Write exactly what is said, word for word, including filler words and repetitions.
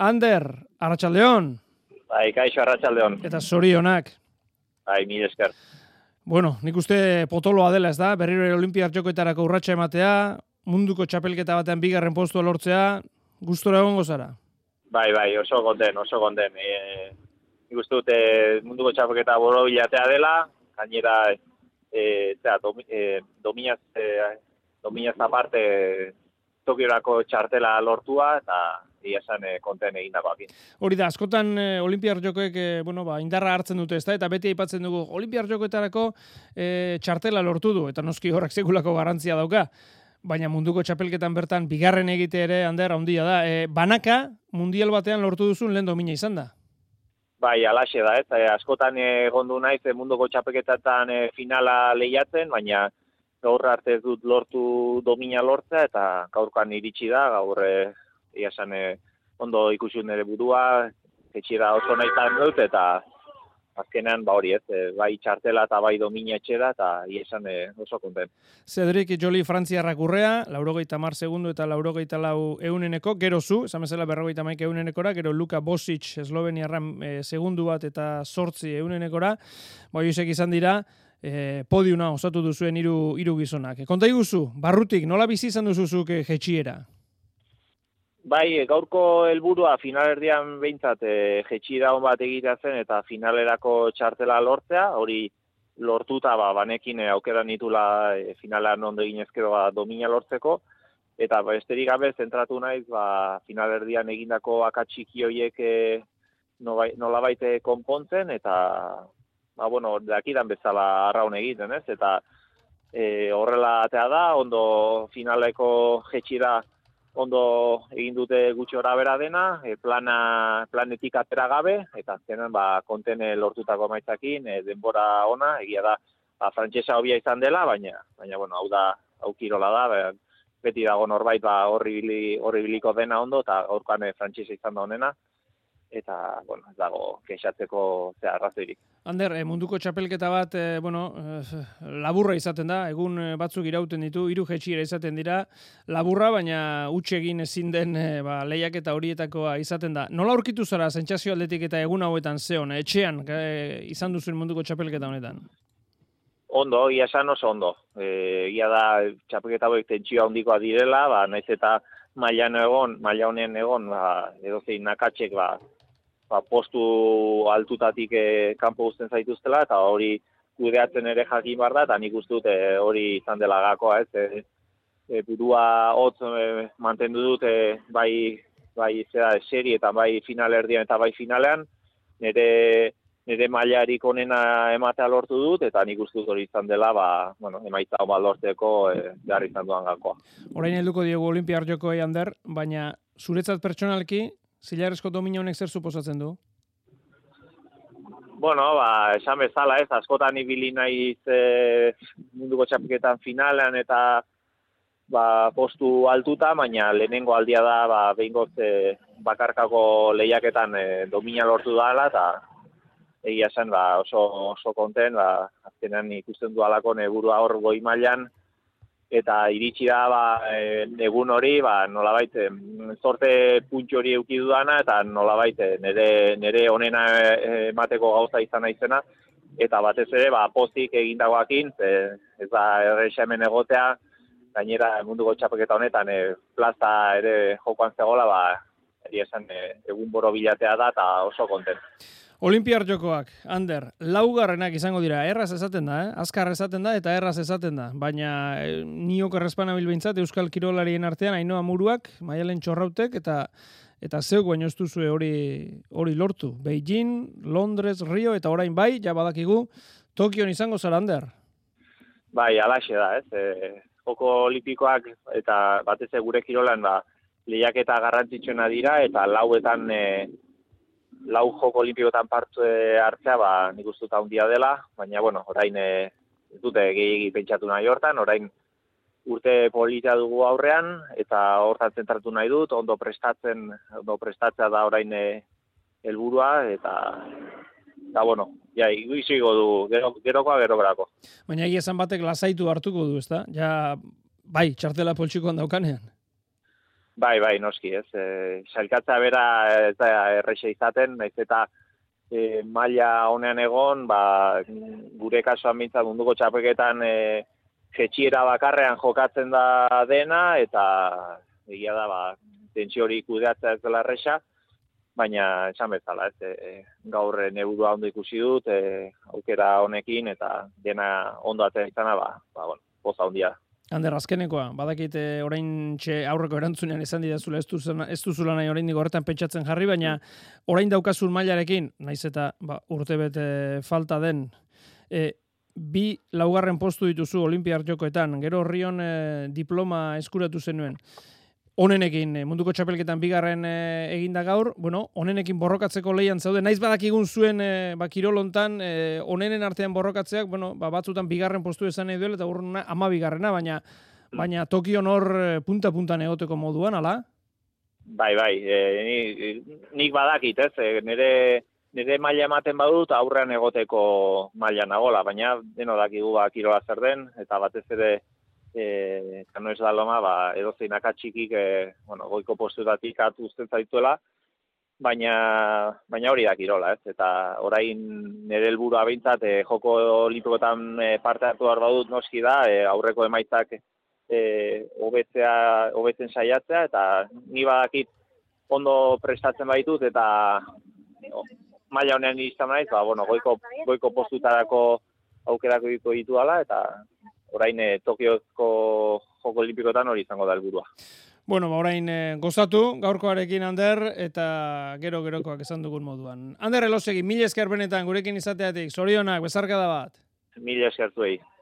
Ander, arratsaldeon. Bai, kaixo arratsaldeon. Eta zorionak. Bai, mil esker. Bueno, nik uste potoloa dela, ez da? Berriro Olinpiar Jokoetarako urratsa ematea, munduko txapelketa batean bigarren postua lortzea, gustora egongo zara? Bai, bai, oso gonden, oso gonden. E, nik uste dute munduko txapelketa boro bilatea dela, gainera e, zera, domi, e, dominaz, e, dominaz aparte Tokiorako txartela lortua, eta ia esan e, konten egindakoakin. Hori da, askotan e, Olinpiar Jokoek e, bueno, ba, indarra hartzen dute, ez da? Eta beti aipatzen dugu, Olinpiar Jokoetarako e, txartela lortu du, eta noski horrek sekulako garantzia dauka. Baina munduko txapelketan bertan bigarren egite ere Ander handia da. E, banaka mundial batean lortu duzun lehen domina izan da. Bai, alaxe da, ez. E, askotan egondu naiz e, munduko txapelketan e, finala lehiatzen, baina gaur arte ez dut lortu domina lortzea, eta gaurkan iritsi da, gaur e, ia esan e, ondo ikusi nire burua, etxera oso nahitan dut, eta azkenean, ba hori ez, e, bai txartela eta bai domina etxera, eta ia esan e, oso konten. Cedric Joli frantziarrak urrea, laurogeita hamar segundu eta laurogeita lau euneneko, gero zu, esan bezala berrogeita hamaika eunenekora, gero Luka Bosic esloveniarran e, segundu bat eta sortzi eunenekora, bai izek izan dira, E, podiuna osatu duzuen hiru hiru gizonak. Konta iguzu, barrutik, nola bizi izan duzuzuk e, jetxiera? Bai, gaurko helburua finalerdian behintzat e, jetxiera hon bat egitea zen eta finalerako txartela lortzea, hori lortuta ba, banekin e, aukera nitula e, finalean ondo eginezkero ba, domina lortzeko, eta ba, esterik gabe zentratu naiz ba, finalerdian egindako akatxiki horiek e, nolabait konpontzen, eta ba, bueno, dakidan bezala arraun egiten, ez? Eta e, horrela atea da, ondo finaleko jetxira ondo egin dute gutxi ora bera dena, e, plana, planetik atera gabe, eta azkenan ba, kontene lortutako maitzakin, e, denbora ona, egia da, ba, frantsesa hobia izan dela, baina, baina bueno, hau da, hau kirola da, ba, beti dago norbait ba, horri biliko dena ondo, eta gaurkoan e, frantsesa izan da honena, eta, bueno, ez dago kexatzeko zea arrazoirik. Ander, eh, munduko txapelketa bat, eh, bueno, eh, laburra izaten da, egun batzuk irauten ditu, hiru jetxiera izaten dira, laburra, baina huts egin ezin den eh, ba, lehiaketa horietakoa izaten da. Nola aurkitu zara sentsazio aldetik eta egun hauetan zeon, etxean eh, izan duzuen munduko txapelketa honetan? Ondo, ia esan oso ondo. E, ia da, txapelketa horiek tentsio handikoa direla, ba, naiz eta mailan egon, maila honen egon, ba, edozein nakatxek, ba, ba, postu altutatik e, kanpo uzten zaituztela, eta hori kudeatzen ere jakin behar da, eta nik uste dut e, hori izan dela gakoa, ez, e, e, burua hotz e, mantendu dut, e, bai, bai zera, seri eta bai finalerdian eta bai finalean, nire, nire mailarik onena ematea lortu dut, eta nik uste dut hori izan dela, ba, bueno, emaitza hon bat lortzeko e, behar izan duan gakoa. Orain helduko diegu Olinpiar Jokoei, Ander, baina zuretzat pertsonalki, zilarrezko domina honek zer suposatzen du? Bueno, ba, esan bezala ez, askotan ibili naiz e, munduko txapelketan finalean eta ba, postu altuta, baina lehenengo aldia da ba, behingoz e, bakarkako lehiaketan e, domina lortu dela, eta egia esan ba, oso, oso konten, ba, azkenean ikusten du alako neburua hor goi mailan, eta iritsi da ba, e, egun hori, ba, nolabait, e, sorte puntxo hori euki dudana, eta nolabait nire, nire onena emateko gauza izan naizena, eta batez ere, ba, pozik egindagoakin, e, ez da erresa hemen egotea, gainera munduko txapelketa honetan, e, plaza ere jokoan zegoela, ba, eri esan e, egun boro bilatea da, eta oso konten. Olinpiar Jokoak, Ander, laugarrenak izango dira, erraz esaten da, eh? Azkar esaten da eta erraz esaten da, baina eh, niok errespana bilbeintzat Euskal Kirolarien artean Ainhoa Muruak, Maialen Txorrautek eta eta zeuk baino ez duzue hori hori lortu. Beijing, Londres, Rio eta orain bai, ja badakigu Tokion izango zara, Ander. Bai, alaxe da, ez? E, joko olimpikoak eta batez gure kirolan ba, lehiaketa garrantzitsuena dira eta lauetan e, lau joko olimpikotan parte hartzea, ba, nik uste dut handia dela, baina, bueno, orain e, ez dute gehiagi pentsatu nahi hortan, orain urte polita dugu aurrean, eta hortan zentratu nahi dut, ondo prestatzen, ondo prestatzea da orain e, helburua, eta, eta, bueno, ja, izigo du, gero, gerokoa gero berako. Baina egia esan batek lasaitu hartuko du, ezta? Ja, bai, txartela poltsikoan daukanean. Bai, bai, noski, ez. E, sailkatza bera ez da erresa izaten, naiz eta e, maila honean egon, ba, gure kasuan mintzat munduko txapelketan e, jetxiera bakarrean jokatzen da dena, eta egia da, ba, tentsio hori kudeatzea ez dela erresa, baina esan bezala, ez, e, gaur neburua ondo ikusi dut, e, aukera honekin, eta dena ondo atzera izana, ba, ba, bueno, poza hondia. Ander, azkenekoa, badakit orain txe aurreko erantzunean esan didazula ez duzula, ez duzula nahi orain horretan pentsatzen jarri, baina orain daukazun mailarekin, naiz eta ba, urte bete falta den, e, bi laugarren postu dituzu Olimpiar Jokoetan, gero Rion e, diploma eskuratu zenuen. Onenekin, munduko txapelketan bigarren e, eginda gaur, bueno, onenekin borrokatzeko lehian zaude, naiz badakigun zuen e, ba, kirolontan, e, onenen artean borrokatzeak, bueno, ba, batzutan bigarren postu esan nahi duela, eta urruna ama bigarrena, baina, baina Tokion hor punta-puntan egoteko moduan, ala? Bai, bai, e, nik, nik badakit, ez, e, nire, nire maila ematen badut aurrean egoteko maila nagola, baina deno dakigu ba, kirola zer den, eta batez ere, Eh, kano ez da loma, ba, edozein akatxikik, eh, bueno, goiko postutatik atu uzten zaituela, baina, baina hori da kirola, ez? Eta orain nire helburua behintzat, eh, joko olimpikoetan eh, parte hartu behar badut noski da, eh, aurreko emaitzak eh, hobetzea, hobetzen saiatzea, eta ni badakit ondo prestatzen baitut, eta oh, maila honean izan naiz, ba, bueno, goiko, goiko postutarako aukerako ditu ala, eta orain eh, Tokioko joko olimpikoetan hori izango da helburua. Bueno, ba, orain eh, gozatu, gaurkoarekin Ander, eta gero-gerokoak esan dugun moduan. Ander Elosegi, mila esker benetan gurekin izateatik, zorionak, bezarkada bat. Mila esker zuei.